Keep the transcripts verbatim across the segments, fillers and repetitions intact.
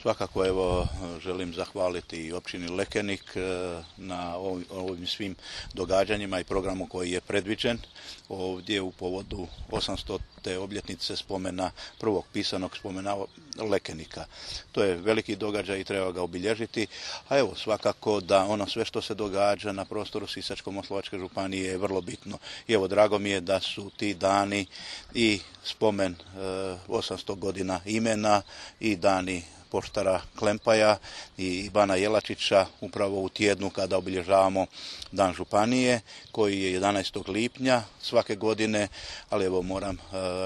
Svakako evo želim zahvaliti i općini Lekenik na ovim svim događanjima i programu koji je predviđen ovdje u povodu osamstote obljetnice spomena, prvog pisanog spomena Lekenika. To je veliki događaj i treba ga obilježiti, a evo svakako da ono sve što se događa na prostoru Sisačko-moslavačke županije je vrlo bitno. I evo drago mi je da su ti dani i spomen osamsto godina imena i dani poštara Klempaja i Bana Jelačića upravo u tjednu kada obilježavamo Dan županije koji je jedanaestog lipnja svake godine, ali evo moram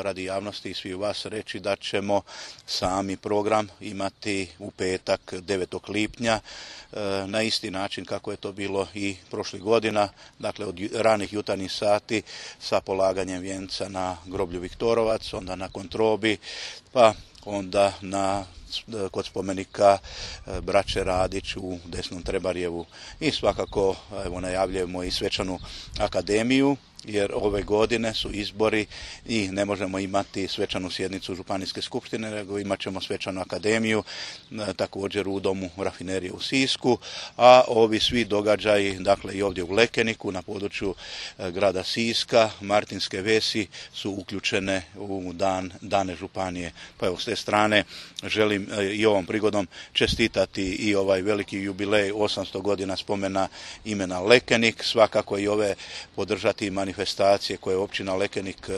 radi javnosti i svih vas reći da ćemo sami program imati u petak devetog lipnja na isti način kako je to bilo i prošlih godina, dakle od ranih jutarnjih sati sa polaganjem vijenca na groblju Viktorovac, onda na Kontrobi, pa onda na kod spomenika braće Radić u Desnom Trebarjevu i svakako evo najavljujemo i svečanu akademiju jer ove godine su izbori i ne možemo imati svečanu sjednicu Županijske skupštine, nego imat ćemo svečanu akademiju također u domu rafinerije u Sisku, a ovi svi događaji, dakle i ovdje u Lekeniku na području grada Siska, Martinske Vesi su uključene u dan, dane županije. Pa evo s te strane želim i ovom prigodom čestitati i ovaj veliki jubilej osamsto godina spomena imena Lekenik, svakako i ove podržati manifestacije manifestacije koje općina Lekenik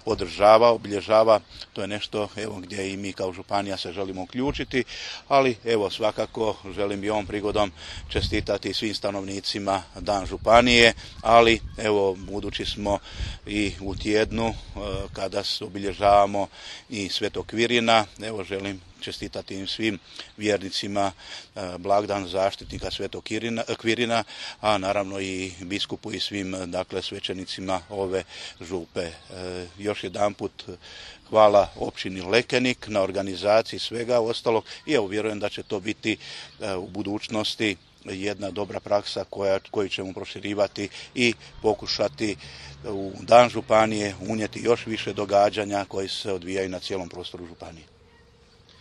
podržava, obilježava. To je nešto evo, gdje i mi kao županija se želimo uključiti, ali evo svakako želim i ovom prigodom čestitati svim stanovnicima Dan županije, ali evo budući smo i u tjednu kada obilježavamo i Svetog Kvirina, evo želim čestitati im svim vjernicima blagdan zaštitnika Svetog Kvirina, a naravno i biskupu i svim dakle svećenicima ove župe. Još jedanput hvala općini Lekenik na organizaciji svega ostalog i evo vjerujem da će to biti u budućnosti jedna dobra praksa koja, koju ćemo proširivati i pokušati u Dan županije unijeti još više događanja koji se odvijaju na cijelom prostoru županije.